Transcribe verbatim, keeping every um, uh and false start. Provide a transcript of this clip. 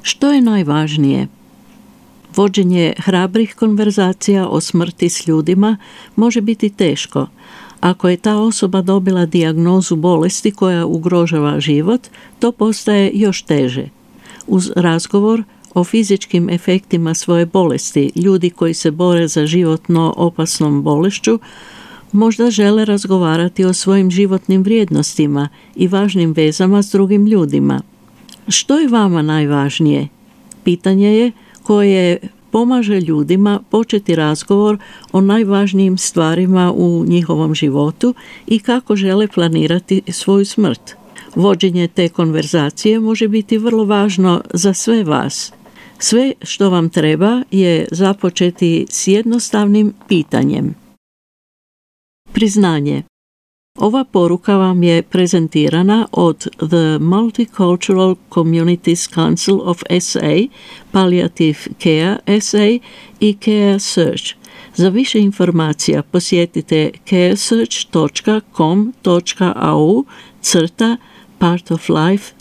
Što je najvažnije? Vođenje hrabrih konverzacija o smrti s ljudima može biti teško. Ako je ta osoba dobila dijagnozu bolesti koja ugrožava život, to postaje još teže. Uz razgovor o fizičkim efektima svoje bolesti, ljudi koji se bore za životno opasnom bolešću možda žele razgovarati o svojim životnim vrijednostima i važnim vezama s drugim ljudima. Što je vama najvažnije? Pitanje je koje pomaže ljudima početi razgovor o najvažnijim stvarima u njihovom životu i kako žele planirati svoju smrt. Vođenje te konverzacije može biti vrlo važno za sve vas. Sve što vam treba je započeti s jednostavnim pitanjem. Priznanje. Ova poruka vam je prezentirana od The Multicultural Communities Council of S A, Palliative Care S A i Care Search. Za više informacija posjetite caresearch dot com dot a u crta part of life